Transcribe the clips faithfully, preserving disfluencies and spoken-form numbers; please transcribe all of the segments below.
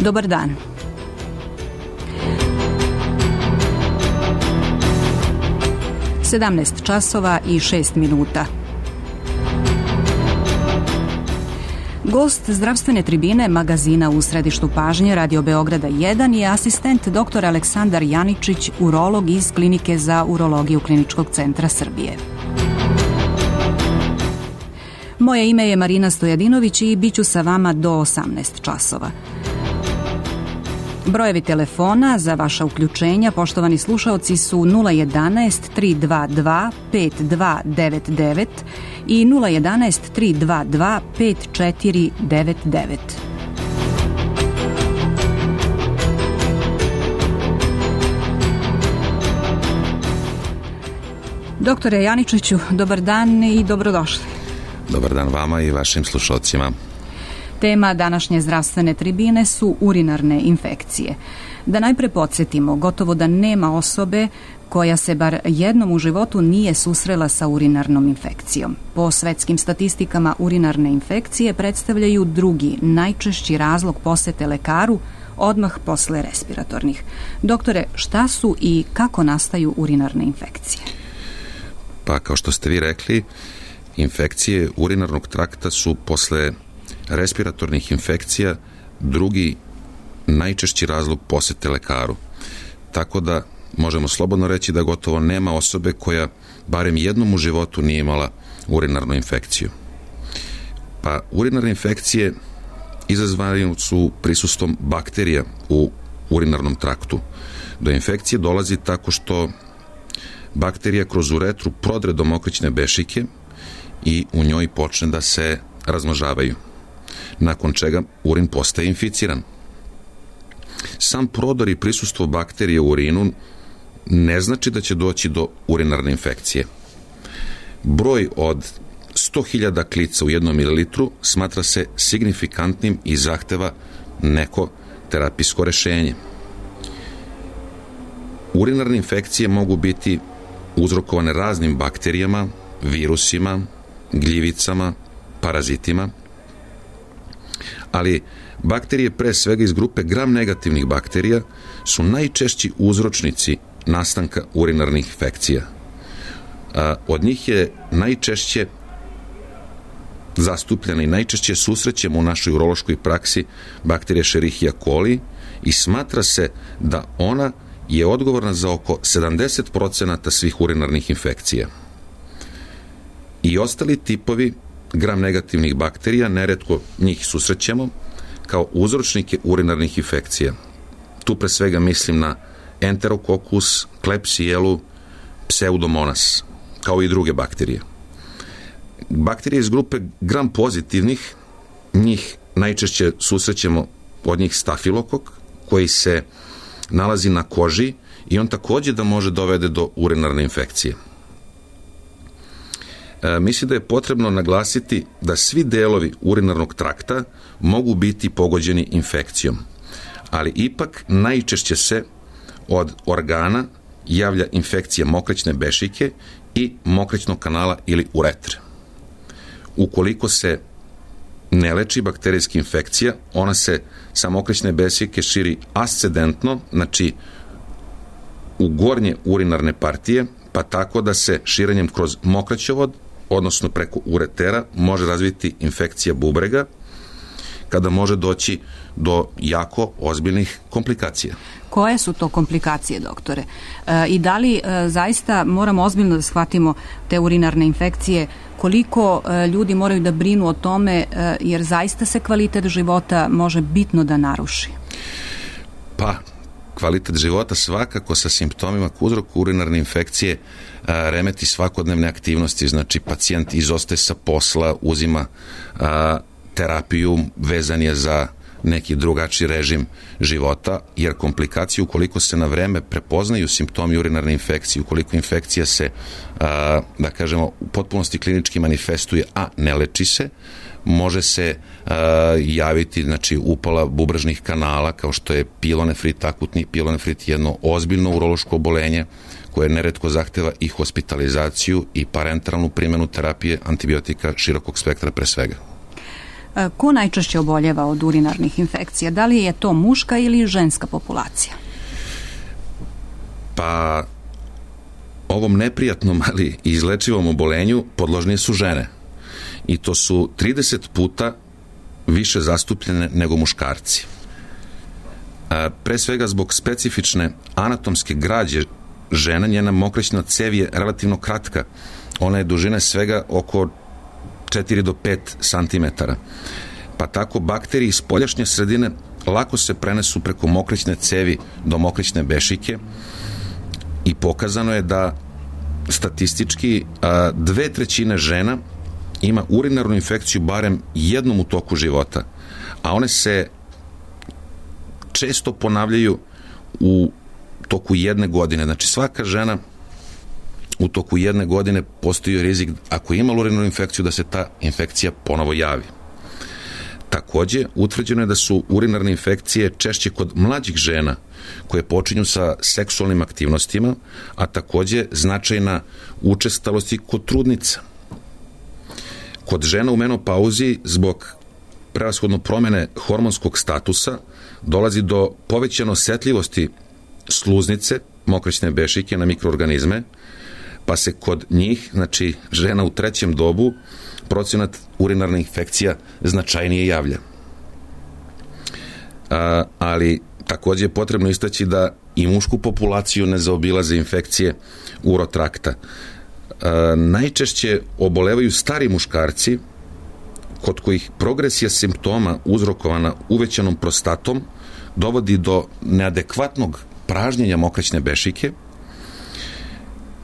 Dobar dan. sedamnaest časova i šest minuta. Gost zdravstvene tribine magazina u središtu pažnje Radio Beograda jedan je asistent dr. Aleksandar Janičić, urolog iz Klinike za urologiju Kliničkog centra Srbije. Moje ime je Marina Stojadinović i bit ću sa vama do osamnaest časova. Brojevi telefona za vaša uključenja, poštovani slušaoci, su nula jedanaest tri dva dva pet dva devet devet i nula jedanaest tri dva dva pet četiri devet devet. Doktore Janičiću, dobar dan i dobrodošli. Dobar dan vama i vašim slušalcima. Tema današnje zdravstvene tribine su urinarne infekcije. Da najpre podsjetimo, gotovo da nema osobe koja se bar jednom u životu nije susrela sa urinarnom infekcijom. Po svetskim statistikama, urinarne infekcije predstavljaju drugi, najčešći razlog posete lekaru odmah posle respiratornih. Doktore, šta su i kako nastaju urinarne infekcije? Pa, kao što ste vi rekli, infekcije urinarnog trakta su posle respiratornih infekcija drugi najčešći razlog posete lekaru. Tako da možemo slobodno reći da gotovo nema osobe koja barem jednom u životu nije imala urinarnu infekciju. Pa urinarne infekcije izazvane su prisustvom bakterija u urinarnom traktu. Do infekcije dolazi tako što bakterija kroz uretru prodre do mokrićne bešike i u njoj počne da se razmnožavaju, nakon čega urin postaje inficiran. Sam prodor i prisustvo bakterije u urinu ne znači da će doći do urinarne infekcije. Broj od sto hiljada klica u jednom mililitru smatra se signifikantnim i zahteva neko terapijsko rešenje. Urinarne infekcije mogu biti uzrokovane raznim bakterijama, virusima, gljivicama, parazitima, ali bakterije, pre svega iz grupe gram negativnih bakterija, su najčešći uzročnici nastanka urinarnih infekcija. Od njih je najčešće zastupljena i najčešće susrećemo u našoj urološkoj praksi bakterija Escherichia coli i smatra se da ona je odgovorna za oko sedamdeset procenata svih urinarnih infekcija. I ostali tipovi gram negativnih bakterija, neretko njih susrećemo kao uzročnike urinarnih infekcija. Tu pre svega mislim na Enterococcus, Klebsielu, Pseudomonas, kao i druge bakterije. Bakterije iz grupe gram pozitivnih, njih najčešće susrećemo od njih stafilokok, koji se nalazi na koži i on takođe da može dovede do urinarne infekcije. E, mislim da je potrebno naglasiti da svi delovi urinarnog trakta mogu biti pogođeni infekcijom, ali ipak najčešće se od organa javlja infekcija mokrićne bešike i mokrićnog kanala ili uretre. Ukoliko se ne leči bakterijska infekcija, ona se sa mokrićne bešike širi ascendentno, znači u gornje urinarne partije, pa tako da se širenjem kroz mokraćovod, odnosno preko uretera, može razviti infekcija bubrega, kada može doći do jako ozbiljnih komplikacija. Koje su to komplikacije, doktore? E, I da li e, zaista moramo ozbiljno da shvatimo te urinarne infekcije? Koliko e, ljudi moraju da brinu o tome, e, jer zaista se kvalitet života može bitno da naruši? Pa, kvalitet života svakako sa simptomima k uzroku urinarne infekcije a, remeti svakodnevne aktivnosti, znači pacijent izostaje sa posla, uzima a, terapiju, vezan je za neki drugačiji režim života, jer komplikacije, ukoliko se na vreme prepoznaju simptomi urinarne infekcije, ukoliko infekcija se, a, da kažemo, u potpunosti klinički manifestuje, a ne leči se, može se a, javiti, znači, upala bubrežnih kanala, kao što je pilonefrit, akutni pilonefrit, jedno ozbiljno urološko obolenje koje neretko zahteva i hospitalizaciju i parenteralnu primjenu terapije antibiotika širokog spektra pre svega. Ko najčešće oboljeva od urinarnih infekcija? Da li je to muška ili ženska populacija? Pa ovom neprijatnom, ali izlečivom obolenju podložnije su žene. I to su trideset puta više zastupljene nego muškarci. Pre svega zbog specifične anatomske građe žena, njena mokraćna cev je relativno kratka. Ona je dužine svega oko četiri do pet santimetara. Pa tako bakterije iz spoljašnje sredine lako se prenesu preko mokraćne cevi do mokraćne bešike i pokazano je da statistički dve trećine žena ima urinarnu infekciju barem jednom u toku života, a one se često ponavljaju u toku jedne godine. Znači svaka žena u toku jedne godine postoji rizik, ako ima urinarnu infekciju, da se ta infekcija ponovo javi. Takođe, utvrđeno je da su urinarne infekcije češće kod mlađih žena koje počinju sa seksualnim aktivnostima, a takođe značajna učestalost i kod trudnica. Kod žena u menopauzi zbog prevashodno promene hormonskog statusa dolazi do povećane osetljivosti sluznice, mokraćne bešike na mikroorganizme, pa se kod njih, znači žena u trećem dobu, procenat urinarnih infekcija značajnije javlja. A, ali takođe je potrebno istaći da i mušku populaciju ne zaobilaze infekcije urotrakta. A, najčešće obolevaju stari muškarci, kod kojih progresija simptoma uzrokovana uvećanom prostatom dovodi do neadekvatnog pražnjenja mokraćne bešike,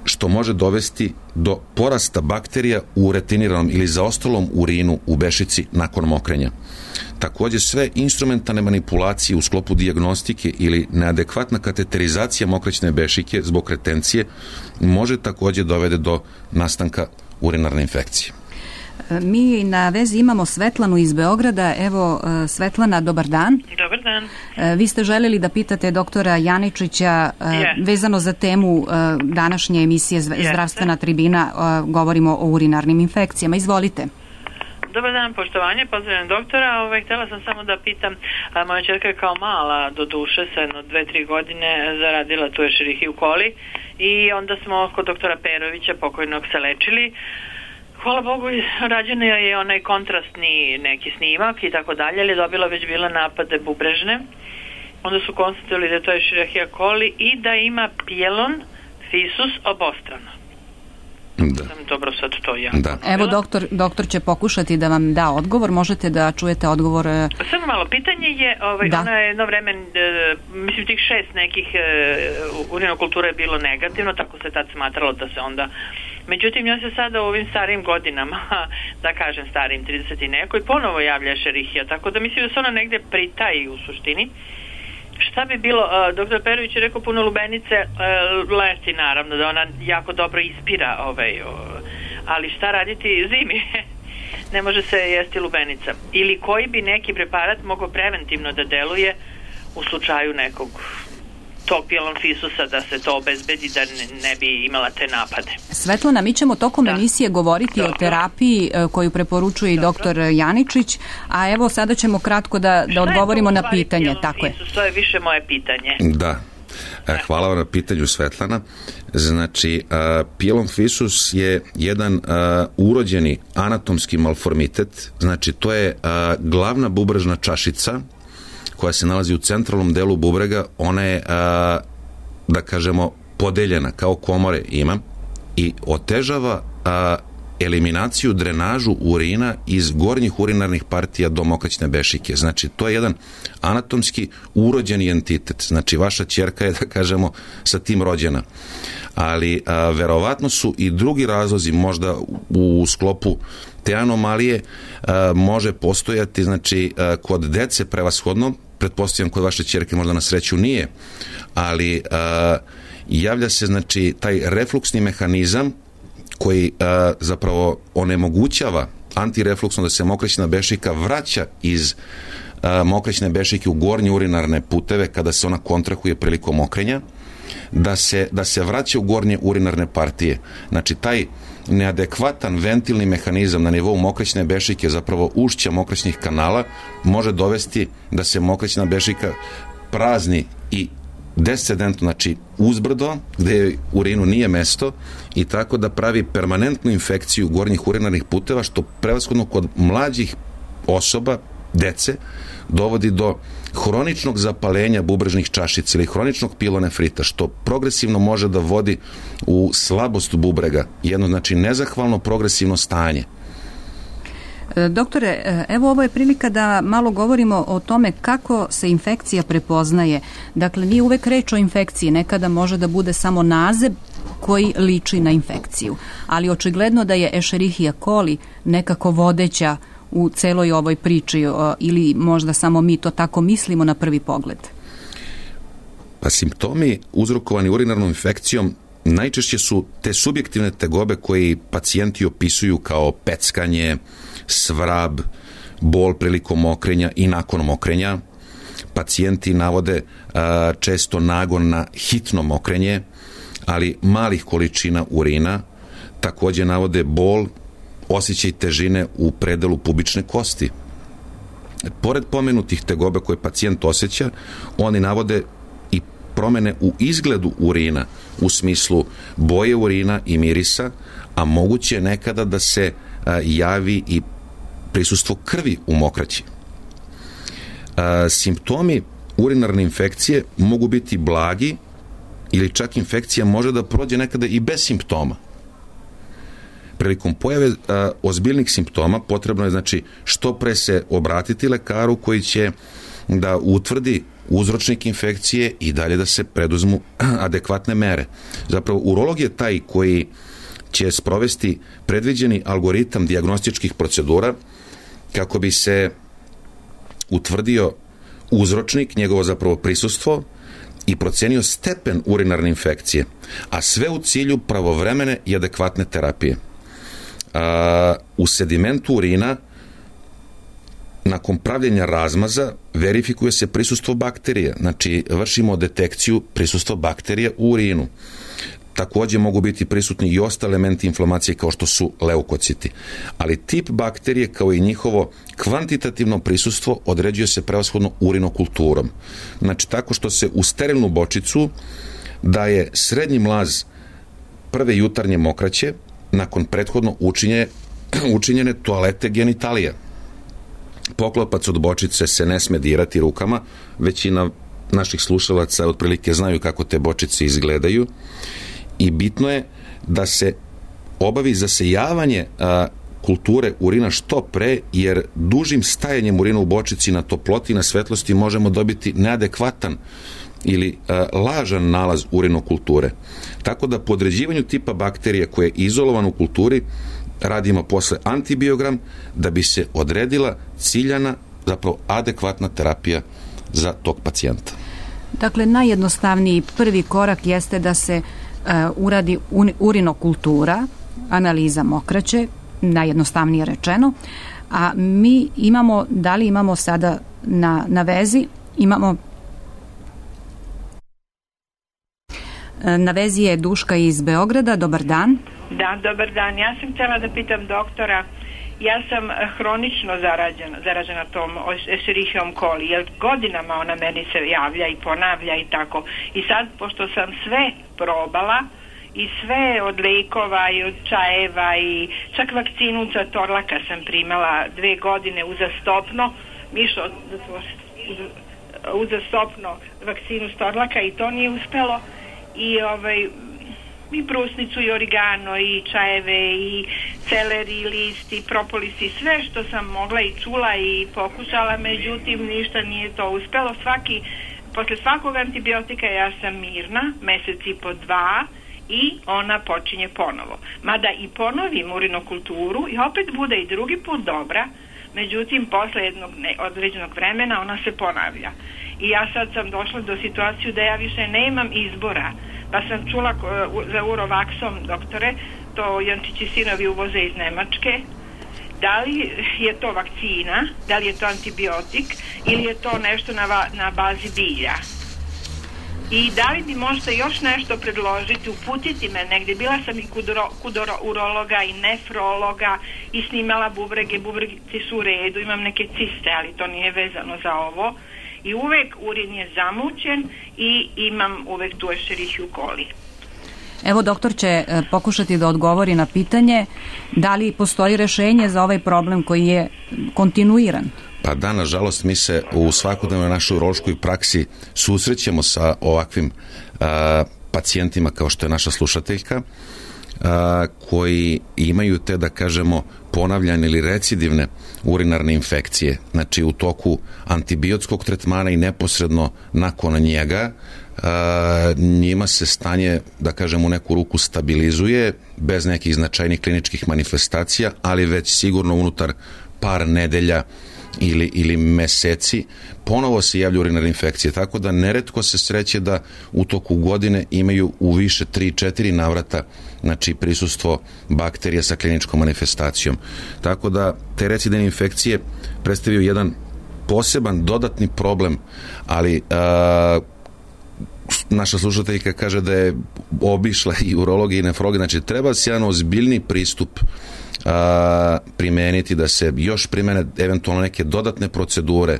što može dovesti do porasta bakterija u retiniranom ili zaostalom urinu u bešici nakon mokrenja. Takođe, sve instrumentalne manipulacije u sklopu dijagnostike ili neadekvatna kateterizacija mokraćne bešike zbog retencije može takođe dovede do nastanka urinarne infekcije. Mi na vezi imamo Svetlanu iz Beograda. Evo, Svetlana, dobar dan. Dobar dan. Vi ste želeli da pitate doktora Janičića yes. vezano za temu današnje emisije Zdravstvena yes. tribina, govorimo o urinarnim infekcijama. Izvolite. Dobar dan, poštovanje, pozdravljam doktora. Ove, htjela sam samo da pitam, a, moja čerka je kao mala, do duše, sa jedno dve, tri godine zaradila tu Escherichia coli i onda smo kod doktora Perovića, pokojnog, se lečili. Hvala Bogu, rađen je onaj kontrastni neki snimak i tako dalje, ali je dobila već bila napade bubrežne. Onda su konstatovali da je to Escherichia coli i da ima pielon fisus obostrano. Da. Sam dobro sad to ja. Da. Evo, doktor, doktor će pokušati da vam da odgovor. Možete da čujete odgovor. Samo malo, pitanje je, ovaj, ona je jedno vreme, e, mislim tih šest nekih e, urinokultura je bilo negativno, tako se tad smatralo da se onda... Međutim, ja se sada u ovim starim godinama, da kažem starim trideset i neko, i ponovo javlja Escherichia, tako da mislim da se ona negde pritaji u suštini. Šta bi bilo, uh, doktor Perović je rekao puno lubenice, uh, leti naravno, da ona jako dobro ispira, ovaj, uh, ali šta raditi zimi? Ne može se jesti lubenica. Ili koji bi neki preparat mogao preventivno da deluje u slučaju nekog tog pielon fisusa, da se to obezbedi, da ne, ne bi imala te napade. Svetlana, mi ćemo tokom da. emisije govoriti Dobro. o terapiji koju preporučuje i doktor Janičić, a evo sada ćemo kratko da, da odgovorimo na pitanje. Tako je. To je više moje pitanje. Da. Hvala vam na pitanju, Svetlana. Znači, uh, pielon fisus je jedan uh, urođeni anatomski malformitet, znači to je uh, glavna bubrežna čašica koja se nalazi u centralnom delu bubrega. Ona je, a, da kažemo, podeljena, kao komore ima, i otežava a, eliminaciju, drenažu urina iz gornjih urinarnih partija do mokraćne bešike. Znači, to je jedan anatomski urođeni entitet. Znači, vaša ćerka je, da kažemo, sa tim rođena. Ali, a, verovatno su i drugi razlozi, možda u, u sklopu te anomalije, a, može postojati, znači, a, kod dece prevashodno, pretpostavljam kod vaše ćerke možda na sreću nije, ali a, javlja se, znači, taj refluksni mehanizam koji a, zapravo onemogućava antirefluksno da se mokraćna bešika vraća iz a, mokraćne bešike u gornje urinarne puteve kada se ona kontrahuje prilikom mokrenja. da se, da se vraća u gornje urinarne partije. Znači, taj neadekvatan ventilni mehanizam na nivou mokraćne bešike, zapravo ušća mokraćnih kanala, može dovesti da se mokraćna bešika prazni i descendentno, znači uzbrdo, gde urinu nije mesto, i tako da pravi permanentnu infekciju gornjih urinarnih puteva, što prevashodno kod mlađih osoba, dece, dovodi do hroničnog zapalenja bubrežnih čašica ili hroničnog pilonefrita, što progresivno može da vodi u slabost bubrega, jedno, znači, nezahvalno progresivno stanje. Doktore, evo ovo je prilika da malo govorimo o tome kako se infekcija prepoznaje. Dakle, nije uvek reč o infekciji, nekada može da bude samo naziv koji liči na infekciju, ali očigledno da je Escherichia coli nekako vodeća u celoj ovoj priči, ili možda samo mi to tako mislimo na prvi pogled? Pa simptomi uzrokovani urinarnom infekcijom najčešće su te subjektivne tegobe koji pacijenti opisuju kao peckanje, svrab, bol prilikom mokrenja i nakon mokrenja. Pacijenti navode a, često nagon na hitno mokrenje, ali malih količina urina. Takođe navode bol, osjećaj težine u predelu pubične kosti. Pored pomenutih tegobe koje pacijent osjeća, oni navode i promene u izgledu urina, u smislu boje urina i mirisa, a moguće je nekada da se a, javi i prisustvo krvi u mokraći. A, simptomi urinarne infekcije mogu biti blagi ili čak infekcija može da prođe nekada i bez simptoma. Prilikom pojave a, ozbiljnih simptoma potrebno je, znači, što pre se obratiti lekaru koji će da utvrdi uzročnik infekcije i dalje da se preduzmu adekvatne mere. Zapravo, urolog je taj koji će sprovesti predviđeni algoritam dijagnostičkih procedura kako bi se utvrdio uzročnik, njegovo zapravo prisustvo i procenio stepen urinarne infekcije, a sve u cilju pravovremene i adekvatne terapije. A, u sedimentu urina nakon pravljenja razmaza verifikuje se prisustvo bakterija, znači vršimo detekciju prisustva bakterija u urinu. Takođe mogu biti prisutni i ostali elementi inflamacije kao što su leukociti. Ali tip bakterije kao i njihovo kvantitativno prisustvo određuje se prevashodno urinokulturom. Znači tako što se u sterilnu bočicu daje srednji mlaz prve jutarnje mokraće nakon prethodno učinje, učinjene toalete genitalija. Poklopac od bočice se ne sme dirati rukama, većina naših slušalaca otprilike znaju kako te bočice izgledaju i bitno je da se obavi zasejavanje a, kulture urina što pre, jer dužim stajanjem urina u bočici na toploti i na svetlosti možemo dobiti neadekvatan ili a, lažan nalaz urinokulture. Tako da po određivanju tipa bakterije koje je izolovan u kulturi radimo posle antibiogram da bi se odredila ciljana, zapravo adekvatna terapija za tog pacijenta. Dakle, najjednostavniji prvi korak jeste da se uh, uradi urinokultura, analiza mokraće, najjednostavnije rečeno, a mi imamo, da li imamo sada na, na vezi, imamo na vezi je Duška iz Beograda. Dobar dan. Da, dobar dan. Ja sam htjela da pitam doktora, ja sam hronično zarađena, zaražena tom Escherichiom coli, jer godinama ona meni se javlja i ponavlja i tako. I sad, pošto sam sve probala, i sve od lekova i od čajeva i čak vakcinu za torlaka sam primala dve godine uzastopno, Mišo, uzastopno vakcinu s torlaka i to nije uspelo. I ovaj i brusnicu i origano i čajeve i celeri list i propolis i sve što sam mogla i čula i pokušala, međutim ništa nije to uspelo. Svaki, posle svakog antibiotika ja sam mirna, mesec i po dva, i ona počinje ponovo. Mada i ponovim urinokulturu i opet bude i drugi put dobra, međutim posle jednog ne, određenog vremena ona se ponavlja. I ja sad sam došla do situaciju da ja više nemam izbora. Pa sam čula za Urovaksom, doktore, to Jančići sinovi uvoze iz Nemačke. Da li je to vakcina, da li je to antibiotik ili je to nešto na, va, na bazi bilja? I da li bi možda još nešto predložiti, uputiti me negdje. Bila sam i kod, uro, kod urologa i nefrologa i snimala bubrege, bubregi su u redu, imam neke ciste, ali to nije vezano za ovo. I uvek urin je zamućen i imam uvek tu Escherichia coli. Evo, doktor će pokušati da odgovori na pitanje da li postoji rešenje za ovaj problem koji je kontinuiran. Pa da, nažalost, mi se u svakodnevnoj našoj urološkoj praksi susrećemo sa ovakvim a, pacijentima kao što je naša slušateljka, a, koji imaju te, da kažemo, ponavljane ili recidivne urinarne infekcije. Znači, u toku antibiotskog tretmana i neposredno nakon njega a, njima se stanje, da kažem, u neku ruku stabilizuje bez nekih značajnih kliničkih manifestacija, ali već sigurno unutar par nedelja ili, ili meseci ponovo se javlja urinarne infekcije, tako da neretko se sreće da u toku godine imaju u više tri četiri navrata, znači, prisustvo bakterija sa kliničkom manifestacijom. Tako da te recidivne infekcije predstavljaju jedan poseban dodatni problem, ali a, naša slušateljka kaže da je obišla i urologi i nefrologi, znači treba se jedan ozbiljni pristup a, primeniti, da se još primene eventualno neke dodatne procedure,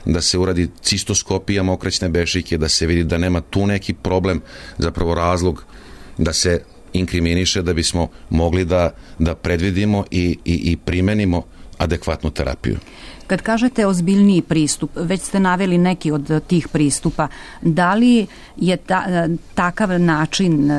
da se uradi cistoskopija mokraćne bešike, da se vidi da nema tu neki problem, zapravo razlog da se inkriminiše, da bismo mogli da, da predvidimo i, i, i primenimo adekvatnu terapiju. Kad kažete ozbiljniji pristup, već ste naveli neki od tih pristupa, da li je ta, takav način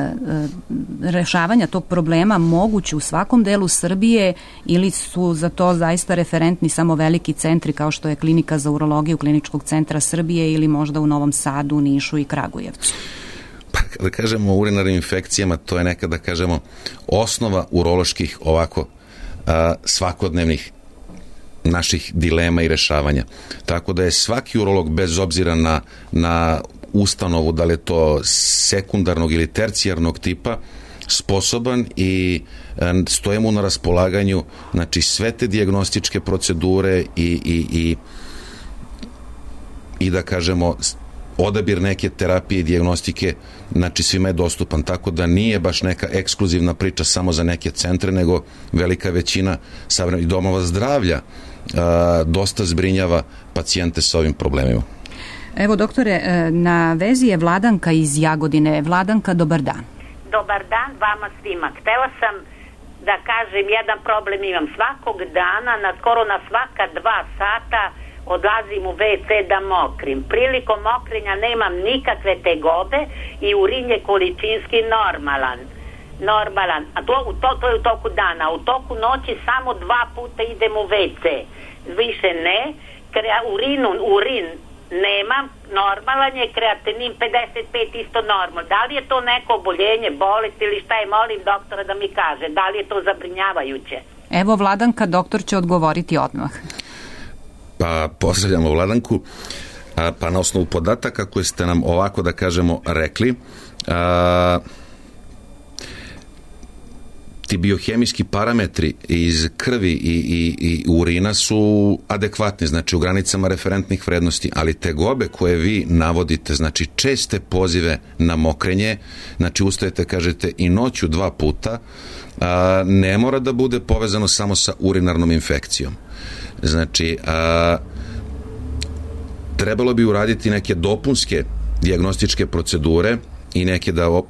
rešavanja tog problema moguć u svakom delu Srbije ili su za to zaista referentni samo veliki centri kao što je Klinika za urologiju Kliničkog centra Srbije ili možda u Novom Sadu, Nišu i Kragujevcu? Pa kada kažemo o urinarnim infekcijama, to je neka, da kažemo, osnova uroloških ovako a, svakodnevnih naših dilema i rešavanja. Tako da je svaki urolog, bez obzira na, na ustanovu, da li je to sekundarnog ili tercijarnog tipa, sposoban i stoje mu na raspolaganju, znači, sve te dijagnostičke procedure i, i, i, i da kažemo odabir neke terapije i dijagnostike, znači svima je dostupan, tako da nije baš neka ekskluzivna priča samo za neke centre, nego velika većina savremenih domova zdravlja a, dosta zbrinjava pacijente sa ovim problemima. Evo, doktore, na vezi je Vladanka iz Jagodine. Vladanka, dobar dan. Dobar dan vama svima. Htela sam da kažem, jedan problem imam. Svakog dana, na skoro na svaka dva sata odlazim u ve ce da mokrim. Prilikom mokrenja nemam nikakve tegobe i urin je količinski normalan. Normalan. A to, to, to je u toku dana. U toku noći samo dva puta idem u ve ce. Više ne. Krea, urinu, urin nemam, normalan je, kreatinin pedeset pet isto normal. Da li je to neko oboljenje, bolest ili šta je, molim doktora da mi kaže. Da li je to zabrinjavajuće? Evo, Vladanka, doktor će odgovoriti odmah. Pa pozdravljamo Vladanku. A, pa na osnovu podataka koje ste nam ovako, da kažemo, rekli, a, ti biohemijski parametri iz krvi i, i, i urina su adekvatni, znači u granicama referentnih vrednosti, ali tegobe koje vi navodite, znači česte pozive na mokrenje, znači ustajete, kažete, i noću dva puta, a, ne mora da bude povezano samo sa urinarnom infekcijom. Znači, a, trebalo bi uraditi neke dopunske dijagnostičke procedure i neke da op,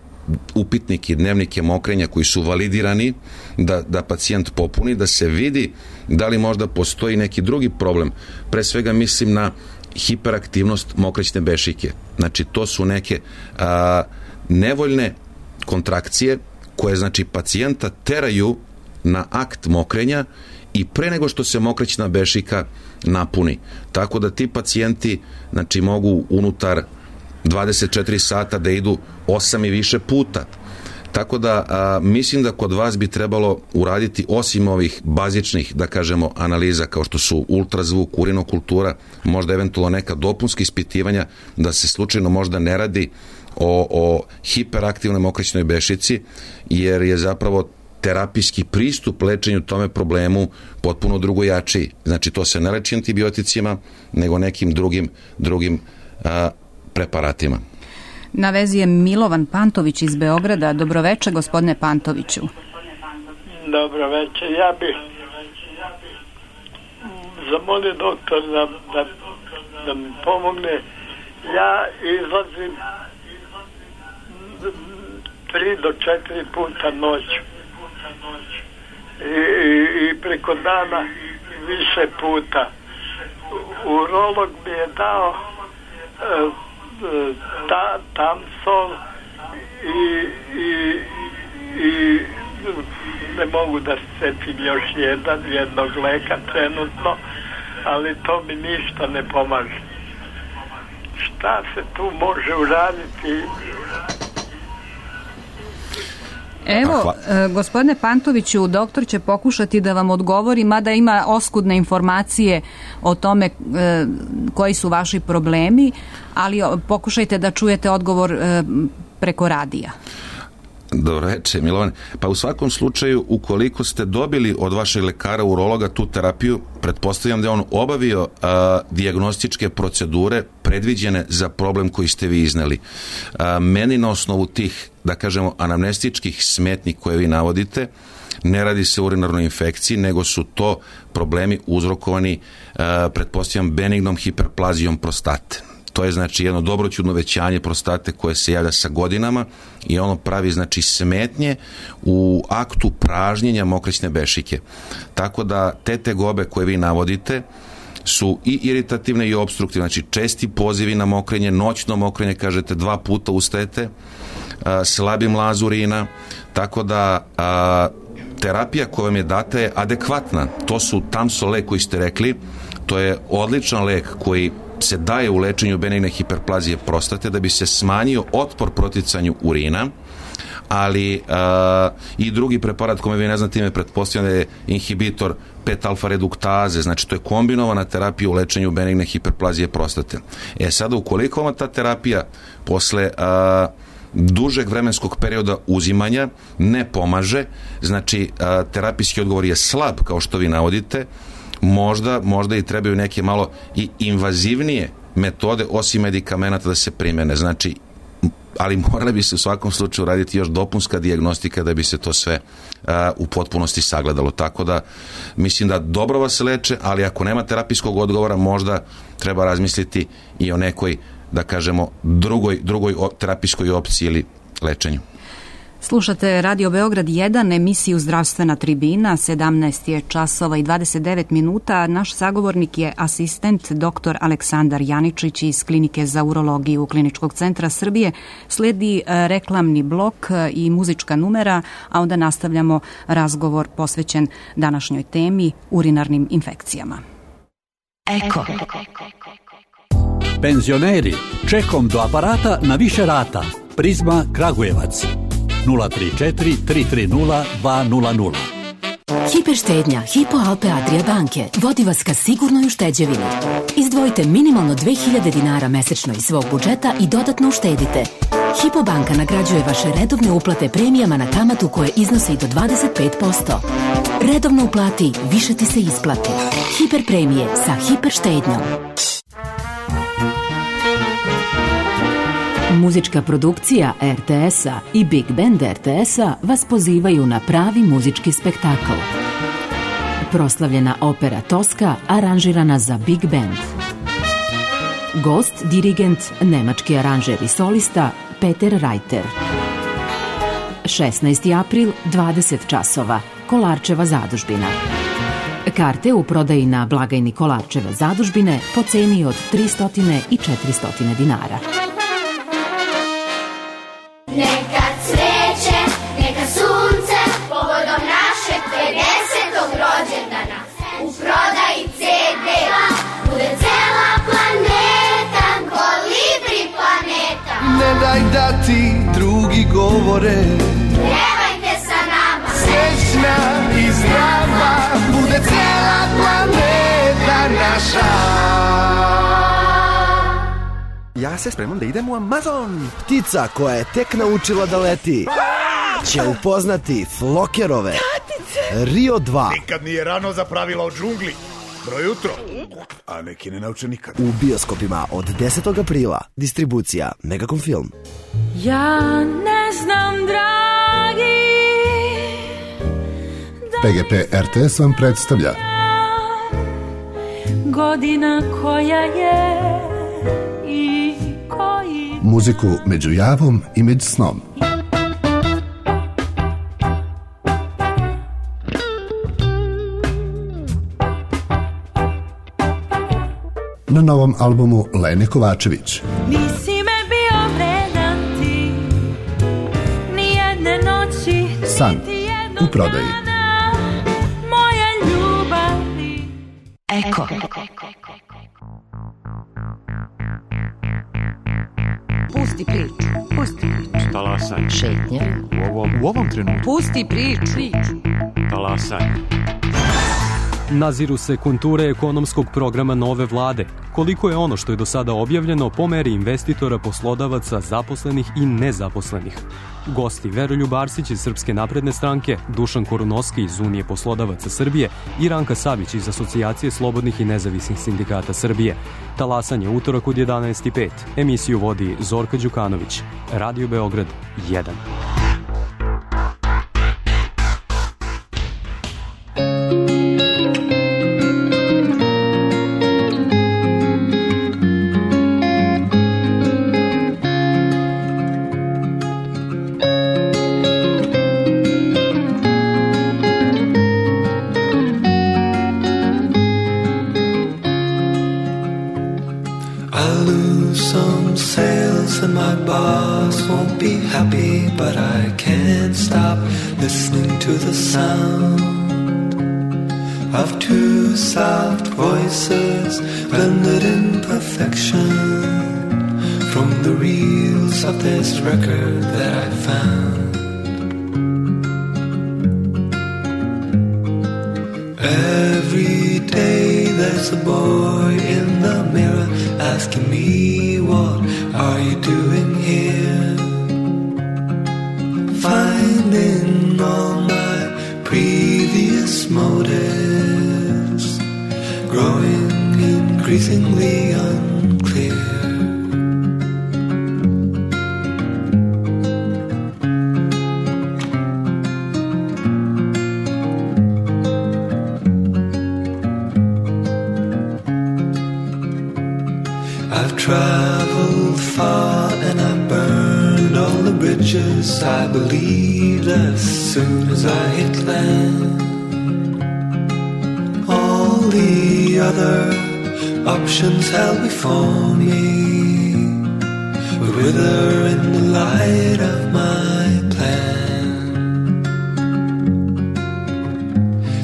upitnike, dnevnike mokrenja koji su validirani, da, da pacijent popuni, da se vidi da li možda postoji neki drugi problem. Pre svega mislim na hiperaktivnost mokraćne bešike. Znači, to su neke a, nevoljne kontrakcije koje, znači, pacijenta teraju na akt mokrenja i pre nego što se mokraćna bešika napuni. Tako da ti pacijenti, znači, mogu unutar dvadeset četiri sata da idu osam i više puta. Tako da a, mislim da kod vas bi trebalo uraditi, osim ovih bazičnih, da kažemo, analiza kao što su ultrazvuk, urinokultura, možda eventualno neka dopunska ispitivanja, da se slučajno možda ne radi o, o hiperaktivnoj mokraćnoj bešici, jer je zapravo terapijski pristup lečenju tome problemu potpuno drugojačiji. Znači, to se ne leči antibioticima, nego nekim drugim, drugim a, preparatima. Na vezi je Milovan Pantović iz Beograda. Dobroveče, gospodine Pantoviću. Dobroveče. Ja bih zamolio doktor da, da, da mi pomogne. Ja izlazim tri do četiri puta noću i, i, i preko dana više puta. Urolog mi je dao uh, ta, Tamsol i, i, i ne mogu da setim još jedan, jednog leka trenutno, ali to mi ništa ne pomaže. Šta se tu može uraditi? Evo, gospodine Pantoviću, doktor će pokušati da vam odgovori, mada ima oskudne informacije o tome e, koji su vaši problemi, ali pokušajte da čujete odgovor e, preko radija. Dobro reče, Milovan. Pa u svakom slučaju, ukoliko ste dobili od vašeg lekara urologa tu terapiju, pretpostavljam da je on obavio a, dijagnostičke procedure predviđene za problem koji ste vi izneli. A, meni na osnovu tih, da kažemo, anamnestičkih smetnji koje vi navodite, ne radi se o urinarnoj infekciji, nego su to problemi uzrokovani, a, pretpostavljam, benignom hiperplazijom prostate. To je znači jedno dobroćudno većanje prostate koje se javlja sa godinama i ono pravi znači smetnje u aktu pražnjenja mokrićne bešike. Tako da te tegobe koje vi navodite su i iritativne i obstruktivne, znači česti pozivi na mokrenje, noćno mokrenje, kažete dva puta ustajete, a, slabi mlaz urina, tako da a, terapija koja vam je data je adekvatna. To su Tamsol lek koji ste rekli, to je odličan lek koji se daje u lečenju benigne hiperplazije prostate da bi se smanjio otpor proticanju urina, ali a, i drugi preparat kome vi ne znate ime, pretpostavljam da je inhibitor pet alfa reduktaze, znači to je kombinovana terapija u lečenju benigne hiperplazije prostate. E sada, ukoliko vam ta terapija posle a, dužeg vremenskog perioda uzimanja ne pomaže, znači a, terapijski odgovor je slab, kao što vi navodite, Možda, možda i trebaju neke malo i invazivnije metode osim medikamenata da se primene. Znači, ali morali bi se u svakom slučaju raditi još dopunska dijagnostika da bi se to sve uh, u potpunosti sagledalo. Tako da mislim da dobro vas leče, ali ako nema terapijskog odgovora, možda treba razmisliti i o nekoj, da kažemo, drugoj, drugoj terapijskoj opciji ili lečenju. Slušate Radio Beograd jedan, emisiju Zdravstvena tribina, sedamnaest je časova i dvadeset devet minuta. Naš sagovornik je asistent doktor Aleksandar Janičić iz Klinike za urologiju Kliničkog centra Srbije. Sledi reklamni blok i muzička numera, a onda nastavljamo razgovor posvećen današnjoj temi, urinarnim infekcijama. Eko. Penzioneri, čekom do aparata na više rata. Prizma Kragujevac. nula tri četiri tri tri nula dva nula nula. Hiperštednja Hypo Alpe Adria banke vodi vas ka sigurnoj ušteđevini. Izdvojite minimalno dve hiljade dinara mesečno iz svog budžeta i dodatno uštedite. Hypo banka nagrađuje vaše redovne uplate premijama na kamatu koje iznose i do dvadeset pet posto. Redovno uplati, više ti se isplati. Hiper premije sa hiperštednjom. Muzička produkcija er te es-a i Big Band er te es-a vas pozivaju na pravi muzički spektakl. Proslavljena opera Toska aranžirana za Big Band. Gost, dirigent, nemački aranžer i solista Peter Reiter. šesnaesti april, dvadeset časova, Kolarčeva zadužbina. Karte u prodaji na blagajni Kolarčeve zadužbine po ceni od tristo i četiristo dinara. Neka cveće, neka sunce, povodom našeg pedesetog rođendana. U prodaji ce de bude cela planeta, Kolibri planeta. Ne daj da ti drugi govore, Pjevajte sa nama, srećna i zdrava, bude cela planeta naša. Ja se spremam da idem u Amazon. Ptica koja je tek naučila da leti će upoznati Flokerove Rio dva. Nikad nije rano za pravila o džungli. Dobro jutro. A neki ne nauče nikad. U bioskopima od desetog aprila. Distribucija Megacom Film. Ja ne znam, dragi. P G P R T S vam predstavlja Godina koja je i koji... muziku među javom i među snom. Na novom albumu Lene Kovačević. Nisi me bio vredan ti, nijedne noći, San u prodaji. Moje ljubavi. Eko. Pusti priču. Pusti priču. Talasaj. Šetnja. U ovom, u ovom trenutku. Pusti priču. Talasaj. Naziru se konture ekonomskog programa nove vlade. Koliko je ono što je do sada objavljeno po meri investitora, poslodavaca, zaposlenih i nezaposlenih. Gosti Veroljub Arsić iz Srpske napredne stranke, Dušan Korunoski iz Unije poslodavaca Srbije i Ranka Savić iz Asocijacije slobodnih i nezavisnih sindikata Srbije. Talasanje utorak od jedanaest i pet. Emisiju vodi Zorka Đukanović. Radio Beograd jedan. And my boss won't be happy, but I can't stop listening to the sound of two soft voices blended in perfection from the reels of this record that I found. Every day there's a boy in the mirror asking me, what are you doing here? Finding all my previous motives growing increasingly unclear. I've traveled far and I burned all the bridges I believed as soon as I hit land. All the other options held before me would wither in the light of my plan.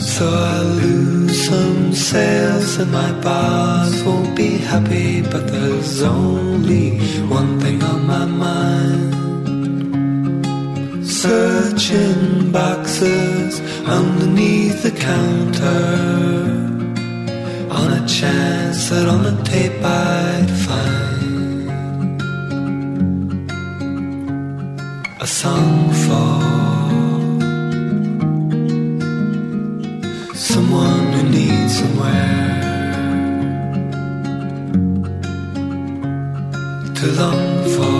So I lose some sails and my boss won't be happy, but there's only one thing on my mind. Searching boxes underneath the counter on a chance that on the tape I'd find a song for someone who needs somewhere to long for.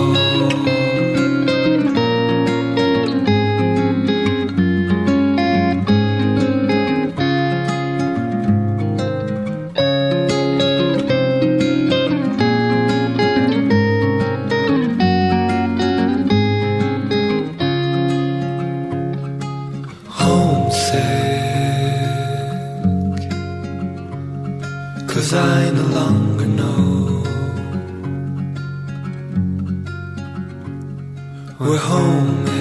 Cause I no longer know where home is.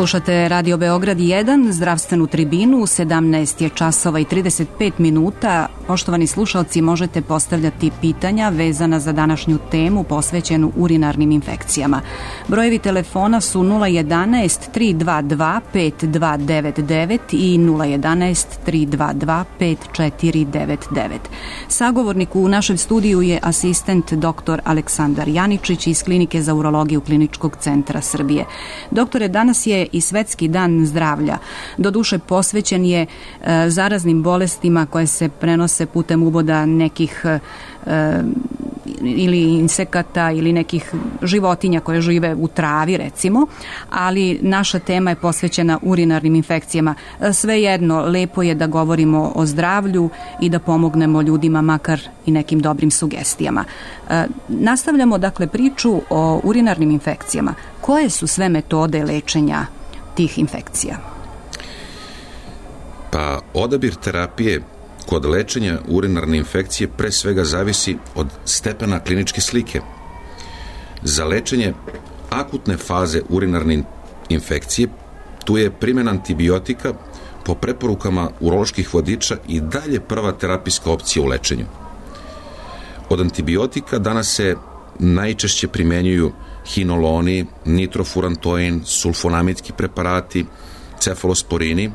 Slušate Radio Beograd jedan, zdravstvenu tribinu, sedamnaest je časova i trideset pet minuta. Poštovani slušalci, možete postavljati pitanja vezana za današnju temu posvećenu urinarnim infekcijama. Brojevi telefona su nula jedanaest tri dva dva pet dva devet devet i nula jedanaest tri dva dva pet četiri devet devet. Sagovornik u našem studiju je asistent dr. Aleksandar Janičić iz Klinike za urologiju Kliničkog centra Srbije. Doktore, danas je i Svetski dan zdravlja. Doduše posvećen je e, zaraznim bolestima koje se prenose putem uboda nekih e, ili insekata ili nekih životinja koje žive u travi, recimo, ali naša tema je posvećena urinarnim infekcijama. Svejedno, lepo je da govorimo o zdravlju i da pomognemo ljudima makar i nekim dobrim sugestijama. E, nastavljamo dakle priču o urinarnim infekcijama. Koje su sve metode lečenja tih infekcija? Pa odabir terapije kod lečenja urinarne infekcije pre svega zavisi od stepena kliničke slike. Za lečenje akutne faze urinarne infekcije tu je primjena antibiotika po preporukama uroloških vodiča i dalje prva terapijska opcija u lečenju. Od antibiotika danas se najčešće primenjuju hinoloni, nitrofurantoin, sulfonamidski preparati, cefalosporini. E,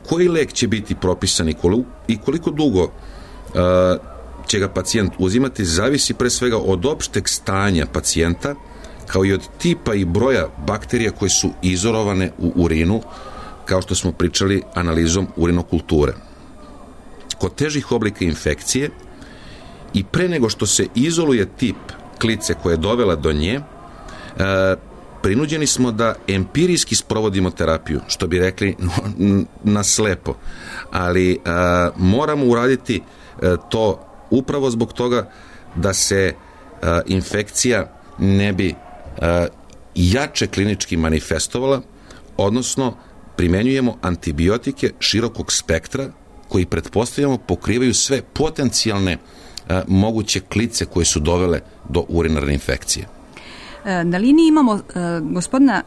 koji lek će biti propisan i koliko dugo e, će ga pacijent uzimati zavisi pre svega od opšteg stanja pacijenta, kao i od tipa i broja bakterija koje su izolovane u urinu, kao što smo pričali analizom urinokulture. Kod težih oblika infekcije i pre nego što se izoluje tip klice koja je dovela do nje, e, prinuđeni smo da empirijski sprovodimo terapiju, što bi rekli na slepo, ali e, moramo uraditi e, to upravo zbog toga da se e, infekcija ne bi e, jače klinički manifestovala, odnosno primenjujemo antibiotike širokog spektra koji pretpostavljamo pokrivaju sve potencijalne e, moguće klice koje su dovele do urinarne infekcije. Na liniji imamo e, gospodina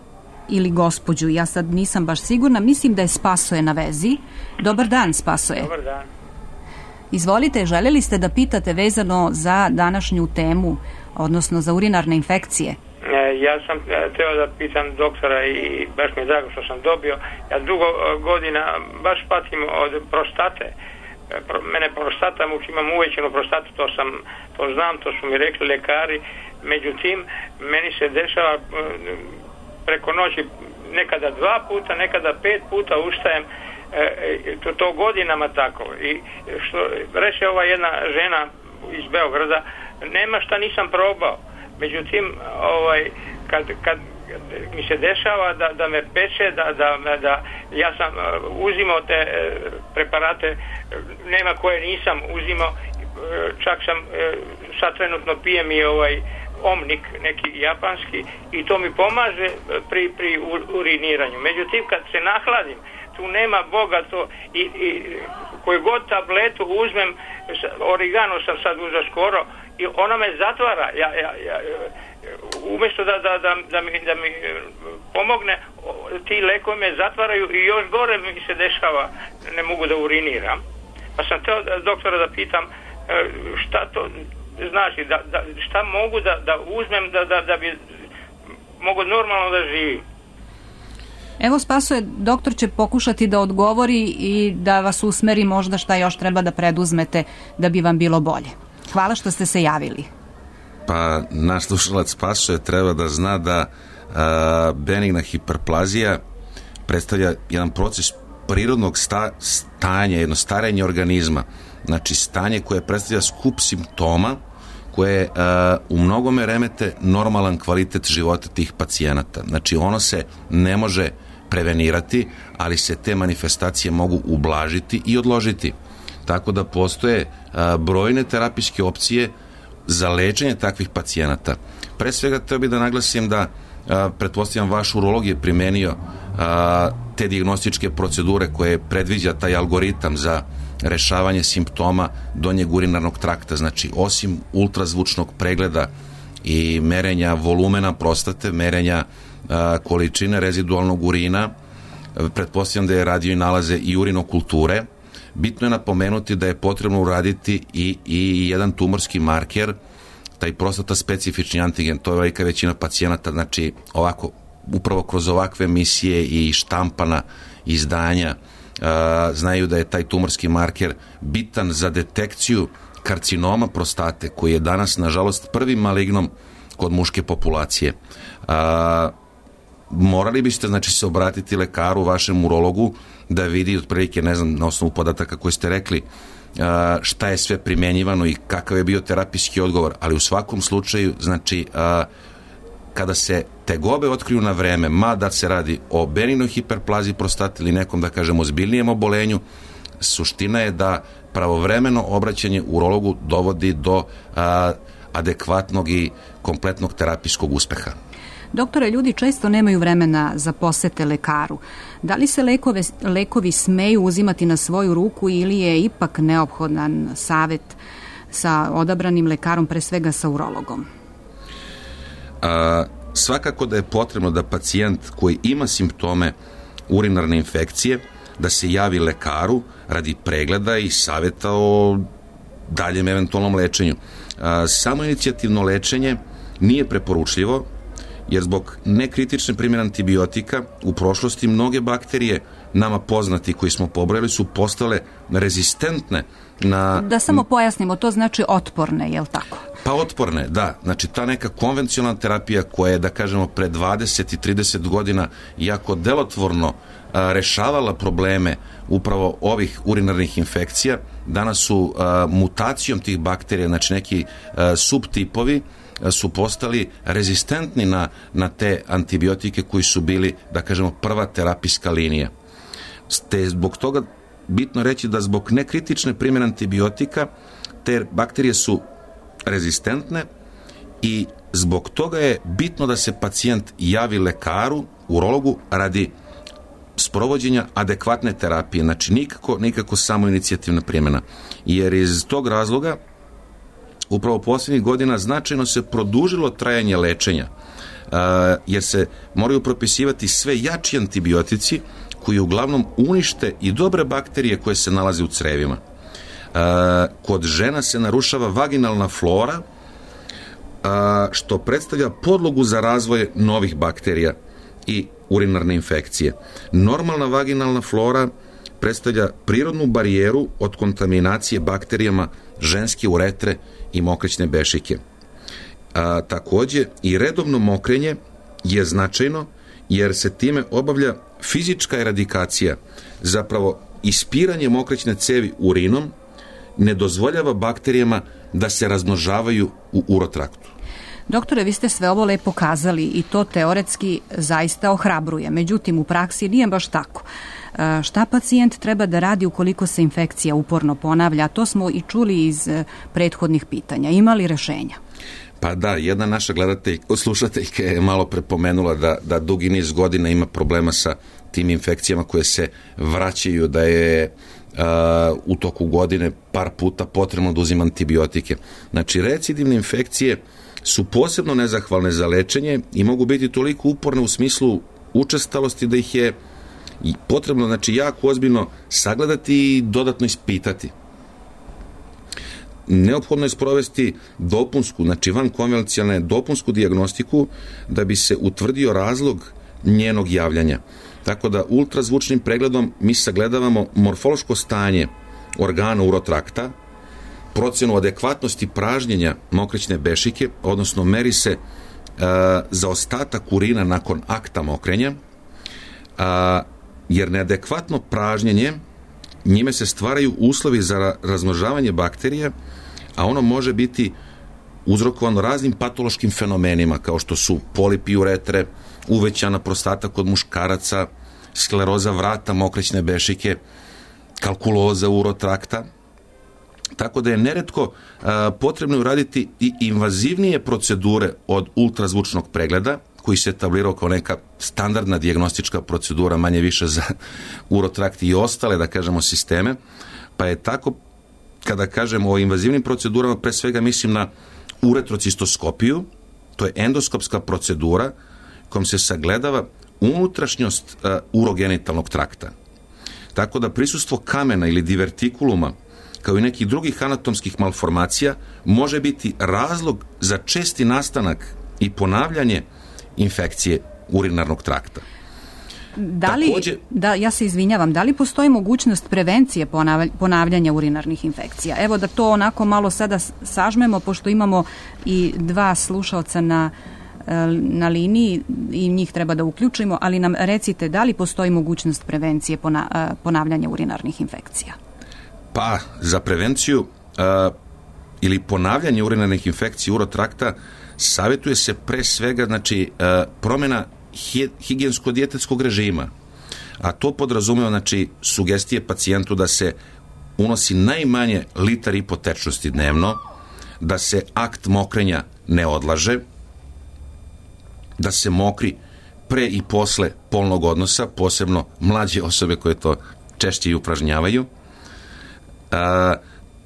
ili gospođu, ja sad nisam baš sigurna, mislim da je Spasoje na vezi. Dobar dan, Spasoje. Dobar dan. Izvolite, željeli ste da pitate vezano za današnju temu, odnosno za urinarne infekcije? E, ja sam teo da pitam doktora i baš mi je drago što sam dobio. Ja dugo godina baš patim od prostate. Mene prostata muči, imam uvećenu prostatu, to sam, to znam, to su mi rekli lekari. Međutim, meni se dešava preko noći nekada dva puta, nekada pet puta ustajem, to, to godinama tako. I što reče ova jedna žena iz Beograda, nema šta nisam probao. Međutim, ovaj, kad, kad mi se dešava da, da me peče, da, da, da ja sam uzimao te preparate, nema koje nisam uzimao, čak sam sad trenutno pijem i ovaj omnik neki japanski i to mi pomaže pri, pri uriniranju. Međutim, kad se nahladim, tu nema Boga to i, i koju god tabletu uzmem, origano sam sad uzeo skoro i ona me zatvara. Ja, ja, ja, umjesto da, da, da, da, mi, da mi pomogne, ti lekovi me zatvaraju i još gore mi se dešava, ne mogu da uriniram. Pa sam teo doktora da pitam šta to znači, da, da, šta mogu da, da uzmem da, da, da bi mogu normalno da živim. Evo, Spasoje, doktor će pokušati da odgovori i da vas usmeri možda šta još treba da preduzmete da bi vam bilo bolje. Hvala što ste se javili. Pa naš slušalac Spasoje treba da zna da a, benigna hiperplazija predstavlja jedan proces prirodnog sta, stanja, jedno starenje organizma. Znači stanje koje predstavlja skup simptoma koje a, u mnogome remete normalan kvalitet života tih pacijenata. Znači ono se ne može prevenirati, ali se te manifestacije mogu ublažiti i odložiti. Tako da postoje a, brojne terapijske opcije za lečenje takvih pacijenata. Pre svega treba bi da naglasim da a, pretpostavljam vaš urolog je primenio a, te dijagnostičke procedure koje predviđa taj algoritam za rešavanje simptoma donjeg urinarnog trakta. Znači, osim ultrazvučnog pregleda i merenja volumena prostate, merenja a, količine rezidualnog urina, pretpostavljam da je radio i nalaze i urinokulture. Bitno je napomenuti da je potrebno uraditi i, i jedan tumorski marker, taj prostata specifični antigen, to je velika većina pacijenata, znači ovako, upravo kroz ovakve emisije i štampana izdanja uh, znaju da je taj tumorski marker bitan za detekciju karcinoma prostate, koji je danas, nažalost, prvi malignom kod muške populacije. Uh, morali biste, znači, se obratiti lekaru, vašem urologu, da vidi otprilike, ne znam, na osnovu podataka koje ste rekli, šta je sve primenjivano i kakav je bio terapijski odgovor, ali u svakom slučaju, znači, kada se tegobe otkriju na vreme, ma da se radi o benignoj hiperplaziji prostate ili nekom, da kažemo, ozbiljnijem obolenju, suština je da pravovremeno obraćanje urologu dovodi do adekvatnog i kompletnog terapijskog uspeha. Doktore, ljudi često nemaju vremena za posete lekaru. Da li se lekove, lekovi smeju uzimati na svoju ruku ili je ipak neophodan savet sa odabranim lekarom, pre svega sa urologom? A, svakako da je potrebno da pacijent koji ima simptome urinarne infekcije, da se javi lekaru radi pregleda i saveta o daljem eventualnom lečenju. A, samo inicijativno lečenje nije preporučljivo, jer zbog nekritične primjene antibiotika u prošlosti mnoge bakterije nama poznati koji smo pobrojali su postale rezistentne na... Da samo pojasnimo, to znači otporne, je li tako? Pa otporne, da. Znači ta neka konvencionalna terapija koja je, da kažemo, pre dvadeset i trideset godina jako delotvorno a, rešavala probleme upravo ovih urinarnih infekcija, danas su a, mutacijom tih bakterija, znači neki a, subtipovi, su postali rezistentni na, na te antibiotike koji su bili, da kažemo, prva terapijska linija. Ste zbog toga bitno reći da zbog nekritične primjene antibiotika te bakterije su rezistentne i zbog toga je bitno da se pacijent javi lekaru, urologu, radi sprovođenja adekvatne terapije. Znači nikako, nikako samo inicijativna primjena. Jer iz tog razloga upravo posljednjih godina značajno se produžilo trajanje lečenja, jer se moraju propisivati sve jači antibiotici koji uglavnom unište i dobre bakterije koje se nalaze u crevima. Kod žena se narušava vaginalna flora, što predstavlja podlogu za razvoj novih bakterija i urinarne infekcije. Normalna vaginalna flora predstavlja prirodnu barijeru od kontaminacije bakterijama ženske uretre i mokrićne bešike. A, takođe, i redovno mokrenje je značajno jer se time obavlja fizička eradikacija, zapravo ispiranje mokrićne cevi urinom ne dozvoljava bakterijama da se razmnožavaju u urotraktu. Doktore, vi ste sve ovo lepo kazali i to teoretski zaista ohrabruje. Međutim, u praksi nije baš tako. Šta pacijent treba da radi ukoliko se infekcija uporno ponavlja? To smo i čuli iz prethodnih pitanja. Ima li rešenja? Pa da, jedna naša gledateljka, slušateljka je malo prepomenula da, da dugi niz godina ima problema sa tim infekcijama koje se vraćaju, da je uh, u toku godine par puta potrebno da uzima antibiotike. Znači, recidivne infekcije su posebno nezahvalne za lečenje i mogu biti toliko uporne u smislu učestalosti da ih je potrebno, znači, jako ozbiljno sagledati i dodatno ispitati. Neophodno je sprovesti dopunsku, znači van konvencionalne dopunsku dijagnostiku da bi se utvrdio razlog njenog javljanja. Tako da ultrazvučnim pregledom mi sagledavamo morfološko stanje organa urotrakta, procenu adekvatnosti pražnjenja mokrićne bešike, odnosno meri se e, zaostatak urina nakon akta mokrenja, a, jer neadekvatno pražnjenje, njime se stvaraju uslovi za razmnožavanje bakterija, a ono može biti uzrokovano raznim patološkim fenomenima, kao što su polipi uretre, uvećana prostata kod muškaraca, skleroza vrata mokrićne bešike, kalkuloza urotrakta. Tako da je neretko a, potrebno uraditi i invazivnije procedure od ultrazvučnog pregleda, koji se etablirao kao neka standardna dijagnostička procedura, manje više za urotrakt i ostale, da kažemo, sisteme, pa je tako, kada kažemo o invazivnim procedurama, pre svega mislim na uretrocistoskopiju, to je endoskopska procedura kojom se sagledava unutrašnjost uh, urogenitalnog trakta. Tako da prisustvo kamena ili divertikuluma, kao i nekih drugih anatomskih malformacija, može biti razlog za česti nastanak i ponavljanje infekcije urinarnog trakta. Da li, Takođe, da, ja se izvinjavam, da li postoji mogućnost prevencije ponavljanja urinarnih infekcija? Evo da to onako malo sada sažmemo, pošto imamo i dva slušalca na, na liniji i njih treba da uključimo, ali nam recite da li postoji mogućnost prevencije ponavljanja urinarnih infekcija? Pa, za prevenciju uh, ili ponavljanje urinarnih infekcija urotrakta savjetuje se pre svega, znači, uh, promjena higijensko-dijetetskog režima, a to podrazumeva, znači, sugestije pacijentu da se unosi najmanje litar i po tečnosti dnevno, da se akt mokrenja ne odlaže, da se mokri pre i posle polnog odnosa, posebno mlađe osobe koje to češće i upražnjavaju. A,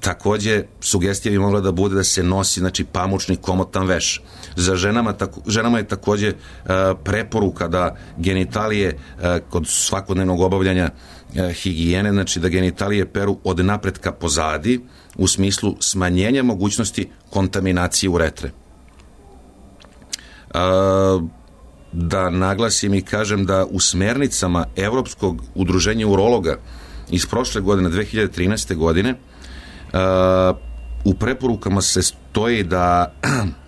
takođe, sugestija bi mogla da bude da se nosi, znači, pamučni komotan veš. Za ženama, tako, ženama je takođe a, preporuka da genitalije a, kod svakodnevnog obavljanja a, higijene, znači da genitalije peru od napretka pozadi u smislu smanjenja mogućnosti kontaminacije uretre. A, da naglasim i kažem da u smernicama Evropskog udruženja urologa iz prošle godine, dve hiljade trinaeste. godine, uh, u preporukama se stoji da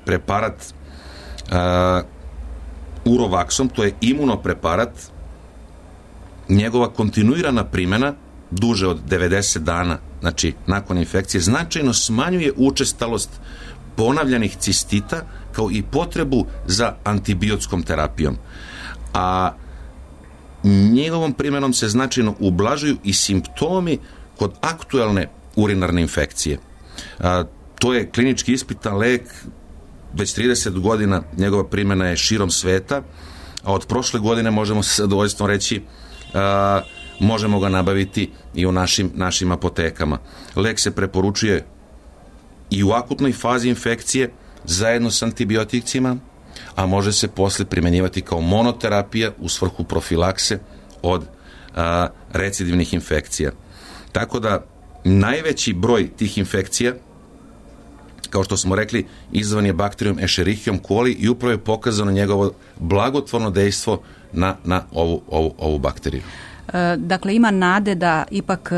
preparat uh, Urovaksom, to je imunopreparat, njegova kontinuirana primjena duže od devedeset dana, znači nakon infekcije, značajno smanjuje učestalost ponavljanih cistita kao i potrebu za antibiotskom terapijom. A njegovom primjenom se značajno ublažuju i simptomi kod aktuelne urinarne infekcije. A, to je klinički ispitan lek, već trideset godina njegova primjena je širom sveta, a od prošle godine možemo se zadovoljstvom reći a, možemo ga nabaviti i u našim, našim apotekama. Lek se preporučuje i u akutnoj fazi infekcije zajedno s antibioticima, a može se posle primjenjivati kao monoterapija u svrhu profilakse od a, recidivnih infekcija. Tako da najveći broj tih infekcija, kao što smo rekli, izazvan je bakterijom Escherichium coli i upravo je pokazano njegovo blagotvorno dejstvo na, na ovu, ovu, ovu bakteriju. Dakle, ima nade da ipak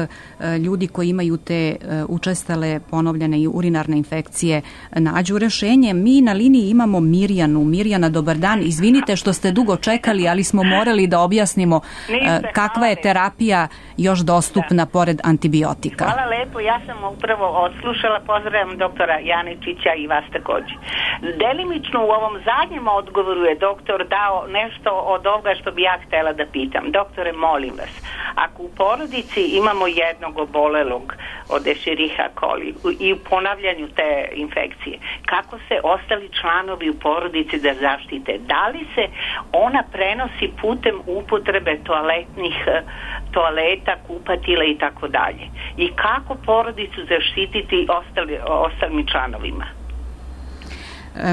ljudi koji imaju te učestale ponovljene i urinarne infekcije nađu rešenje. Mi na liniji imamo Mirjanu. Mirjana, dobar dan. Izvinite što ste dugo čekali, ali smo morali da objasnimo kakva je terapija još dostupna pored antibiotika. Hvala lepo, ja sam upravo odslušala, pozdravljam doktora Janičića i vas također. Delimično u ovom zadnjem odgovoru je doktor dao nešto od ovoga što bi ja htjela da pitam. Doktore, molim vas, ako u porodici imamo jednog obolelog od Escherichia coli i u ponavljanju te infekcije, kako se ostali članovi u porodici da zaštite? Da li se ona prenosi putem upotrebe toaletnih toaleta, kupatila i tako dalje? I kako porodicu zaštititi ostali, ostalim članovima?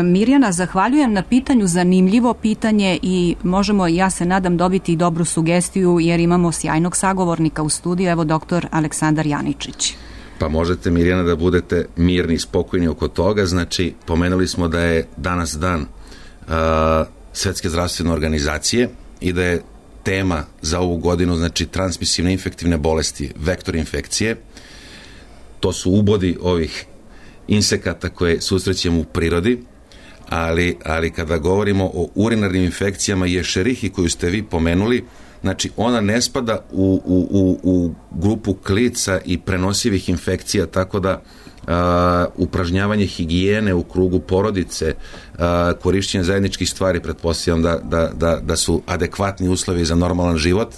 Mirjana, zahvaljujem na pitanju, zanimljivo pitanje i možemo, ja se nadam, dobiti i dobru sugestiju jer imamo sjajnog sagovornika u studiju, evo doktor Aleksandar Janičić. Pa možete, Mirjana, da budete mirni i spokojni oko toga. Znači, pomenuli smo da je danas dan uh, Svetske zdravstvene organizacije i da je tema za ovu godinu, znači, transmisivne infektivne bolesti, vektor infekcije. To su ubodi ovih insekata koje susrećemo u prirodi, ali, ali kada govorimo o urinarnim infekcijama i Escherichii koju ste vi pomenuli, znači ona ne spada u, u, u, u grupu klica i prenosivih infekcija, tako da a, upražnjavanje higijene u krugu porodice, a, korišćenje zajedničkih stvari, pretpostavljam da, da, da, da su adekvatni uslovi za normalan život.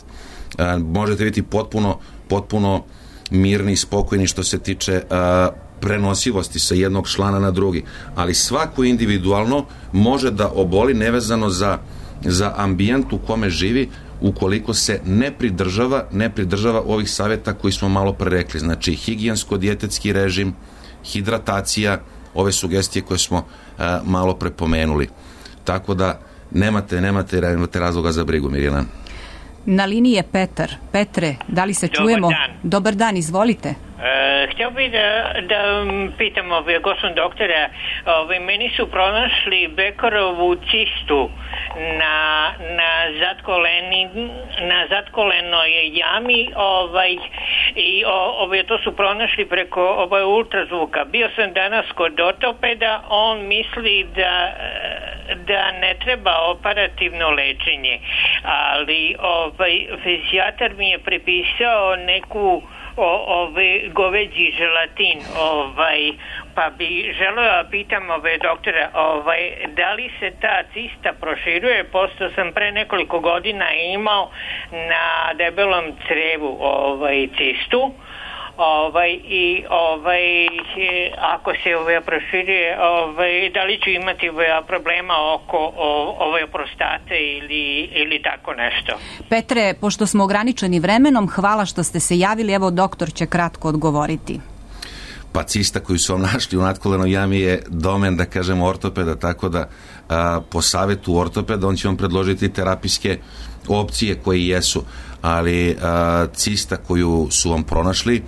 A, možete biti potpuno, potpuno mirni i spokojni što se tiče a, prenosivosti sa jednog člana na drugi, ali svako individualno može da oboli nevezano za, za ambijent u kome živi, ukoliko se ne pridržava, ne pridržava ovih savjeta koji smo malo pre rekli, znači higijensko-dijetetski režim, hidratacija, ove sugestije koje smo a, malo pre pomenuli. Tako da nemate, nemate, nemate razloga za brigu, Mirjana. Na liniji je Petar. Petre, da li se Dobar čujemo? Dan. Dobar dan, izvolite. E, htio bih da, da pitam ovaj, gospodin doktora, ovaj, meni su pronašli Bekerovu cistu na, na, zatkoleni, na zatkolenoj jami ovaj, i o, ovaj, to su pronašli preko ovaj, ultrazvuka. Bio sam danas kod ortopeda, on misli da, da ne treba operativno lečenje, ali ovaj, fizijatar mi je prepisao neku o, ovaj, goveđi želatin, ovaj, pa bi želeo da pitam ovaj, doktora, ovaj, da li se ta cista proširuje, posto sam pre nekoliko godina imao na debelom crevu ovaj, cistu, ovaj, i ovaj, ako se ovaj, proširuje, ovaj, da li ću imati ovaj, problema oko ovaj, prostate ili, ili tako nešto. Petre, pošto smo ograničeni vremenom, hvala što ste se javili, evo doktor će kratko odgovoriti. Pa cista koju su vam našli u natkolenoj jami je domen, da kažemo, ortopeda, tako da a, po savjetu ortopeda on će vam predložiti terapijske opcije koje jesu, ali a, cista koju su vam pronašli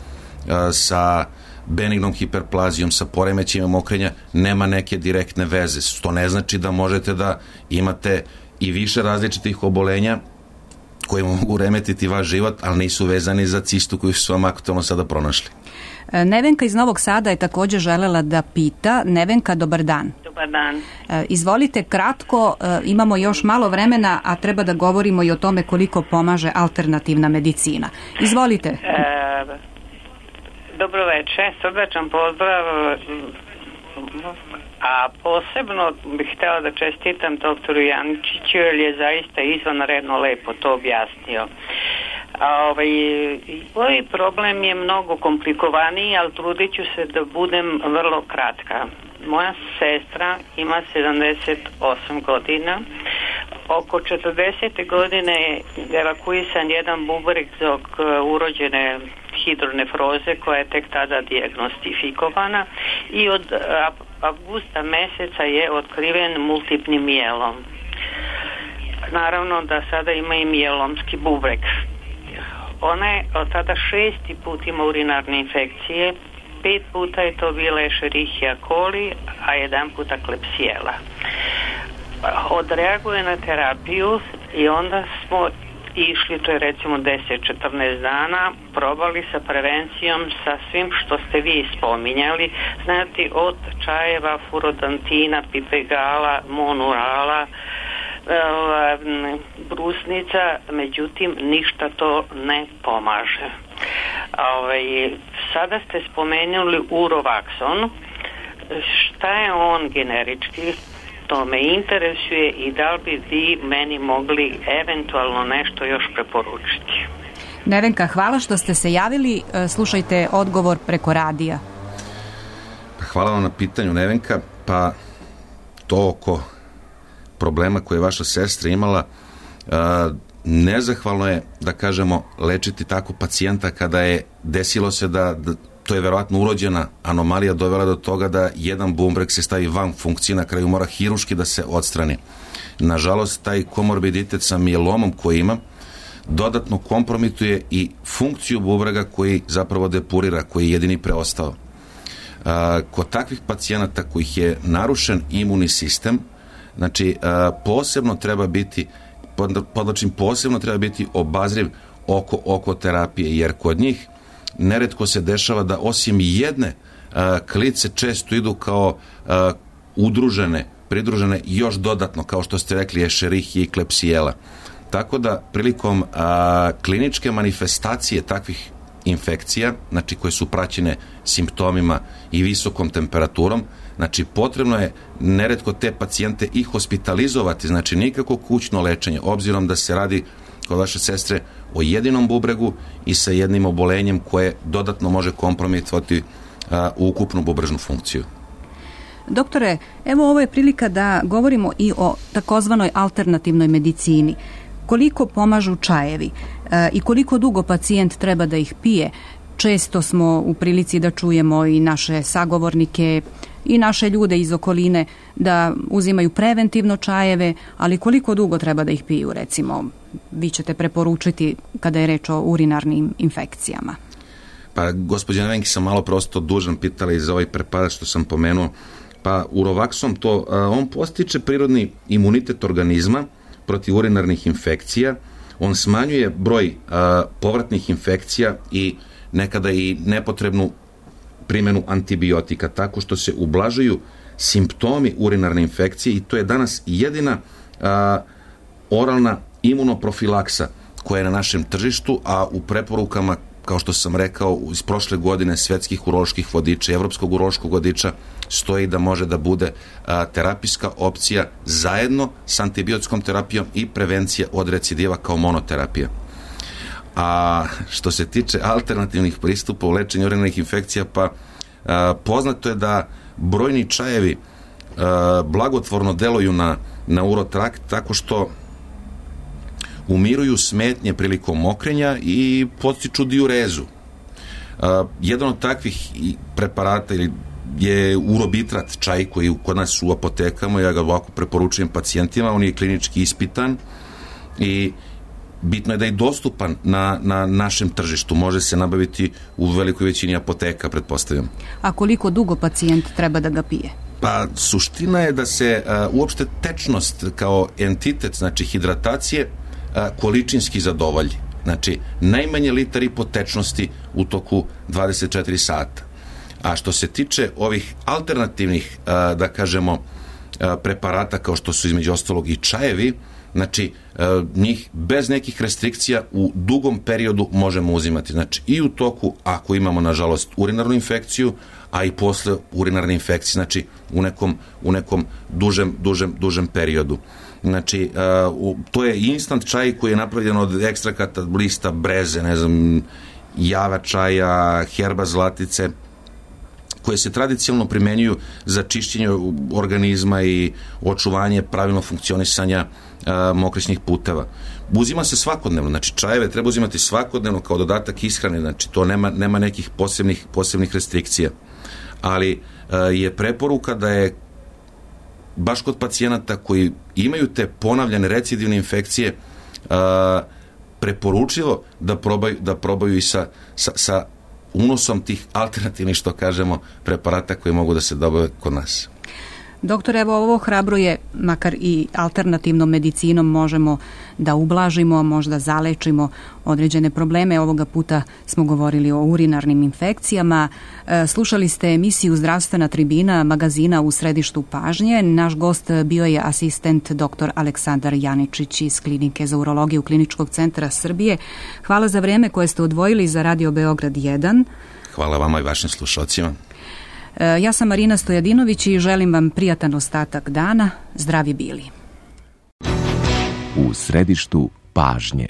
a, sa benignom hiperplazijom, sa poremećajima mokrenja, nema neke direktne veze. To ne znači da možete da imate i više različitih obolenja koje mogu remetiti vaš život, ali nisu vezani za cistu koju su vam aktualno sada pronašli. Nevenka iz Novog Sada je također želela da pita. Nevenka, dobar dan. Dobar dan. Izvolite kratko, imamo još malo vremena, a treba da govorimo i o tome koliko pomaže alternativna medicina. Izvolite. E, dobro večer, srdačan pozdrav, a posebno bih htjela da čestitam doktoru Janičiću, jer je zaista izvanredno lepo to objasnio. A ovaj, ovaj problem je mnogo komplikovaniji, ali trudit ću se da budem vrlo kratka. Moja sestra ima sedamdeset osam godina. Oko četrdesete godine je evakuisan jedan bubreg zbog urođene hidronefroze koja je tek tada dijagnostifikovana i od avgusta meseca je otkriven multipnim mijelom. Naravno da sada ima i mijelomski bubreg. Ona je od tada šesti put ima urinarne infekcije, pet puta je to bila Escherichia coli, a jedan puta Klebsiella. Odreaguje na terapiju i onda smo išli, to je recimo deset do četrnaest dana, probali sa prevencijom, sa svim što ste vi spominjali, znate, od čajeva, furodantina, pipegala, monurala, brusnica, međutim ništa to ne pomaže. Ovaj, sada ste spomenuli Urovaxon. Šta je on generički? To me interesuje i da li bi vi meni mogli eventualno nešto još preporučiti? Nevenka, hvala što ste se javili. Slušajte odgovor preko radija. Hvala vam na pitanju, Nevenka. Pa to oko problema koje je vaša sestra imala, nezahvalno je, da kažemo, lečiti tako pacijenta kada je desilo se da, da to je verovatno urođena anomalija dovela do toga da jedan bubreg se stavi van funkcije, na kraju mora hiruški da se odstrani. Nažalost, taj komorbiditet sa mijelomom koji ima dodatno kompromituje i funkciju bubrega koji zapravo depurira, koji je jedini preostao. A, kod takvih pacijenata kojih je narušen imunni sistem, znači a, posebno treba biti podlačim posebno treba biti obazriv oko, oko terapije, jer kod njih neretko se dešava da osim jedne a, klice često idu kao a, udružene, pridružene još dodatno, kao što ste rekli, Escherichia i Klebsiella. Tako da prilikom a, kliničke manifestacije takvih infekcija, znači koje su praćene simptomima i visokom temperaturom, znači potrebno je neretko te pacijente i hospitalizovati, znači nikako kućno lečenje, obzirom da se radi kod vaše sestre o jedinom bubregu i sa jednim obolenjem koje dodatno može kompromitovati a, ukupnu bubrežnu funkciju. Doktore, evo ovo je prilika da govorimo i o takozvanoj alternativnoj medicini. Koliko pomažu čajevi e, i koliko dugo pacijent treba da ih pije? Često smo u prilici da čujemo i naše sagovornike i naše ljude iz okoline da uzimaju preventivno čajeve, ali koliko dugo treba da ih piju, recimo, vi ćete preporučiti kada je reč o urinarnim infekcijama? Pa, gospođa Nevenki, sam malo prosto dužan pitala i za ovaj preparat što sam pomenuo. Pa, Urovaksom to, on postiče prirodni imunitet organizma protiv urinarnih infekcija, on smanjuje broj a, povratnih infekcija i nekada i nepotrebnu primjenu antibiotika, tako što se ublažuju simptomi urinarne infekcije i to je danas jedina a, oralna imunoprofilaksa koja je na našem tržištu, a u preporukama, kao što sam rekao, iz prošle godine svetskih uroloških vodiča i evropskog urološkog vodiča stoji da može da bude a, terapijska opcija zajedno sa antibiotskom terapijom i prevencija od recidiva kao monoterapija. A što se tiče alternativnih pristupa u lečenju urinarnih infekcija, pa a, poznato je da brojni čajevi a, blagotvorno deluju na, na urotrakt tako što umiruju smetnje prilikom mokrenja i podstiču diurezu. A, jedan od takvih preparata ili je urobitrat, čaj koji kod nas u apotekama, ja ga ovako preporučujem pacijentima, on je klinički ispitan i bitno je da je dostupan na, na našem tržištu. Može se nabaviti u velikoj većini apoteka, pretpostavljam. A koliko dugo pacijent treba da ga pije? Pa, suština je da se a, uopšte tečnost kao entitet, znači hidratacije, a, količinski zadovolji. Znači, najmanje litar i po tečnosti u toku dvadeset četiri sata. A što se tiče ovih alternativnih, a, da kažemo, a, preparata kao što su između ostalog i čajevi, znači, njih bez nekih restrikcija u dugom periodu možemo uzimati. Znači, i u toku, ako imamo, nažalost, urinarnu infekciju, a i posle urinarne infekcije, znači, u nekom, u nekom dužem, dužem, dužem periodu. Znači, to je instant čaj koji je napravljen od ekstrakata lista breze, ne znam, java čaja, herba zlatice, koje se tradicionalno primenjuju za čišćenje organizma i očuvanje pravilno funkcionisanja a, mokrišnih puteva. Uzima se svakodnevno, znači čajeve treba uzimati svakodnevno kao dodatak ishrane, znači to nema, nema nekih posebnih, posebnih restrikcija. Ali a, je preporuka da je baš kod pacijenata koji imaju te ponavljane recidivne infekcije a, preporučivo da probaju, da probaju i sa, sa, sa unosom tih alternativnih, što kažemo, preparata koji mogu da se dobave kod nas. Doktor, evo ovo hrabruje, makar i alternativnom medicinom možemo da ublažimo, možda zalečimo određene probleme. Ovoga puta smo govorili o urinarnim infekcijama. E, slušali ste emisiju Zdravstvena tribina magazina U središtu pažnje. Naš gost bio je asistent doktor Aleksandar Janičić iz Klinike za urologiju Kliničkog centra Srbije. Hvala za vreme koje ste odvojili za Radio Beograd jedan. Hvala vama i vašim slušalcima. Ja sam Marina Stojadinović i želim vam prijatan ostatak dana. Zdravi bili. U središtu pažnje.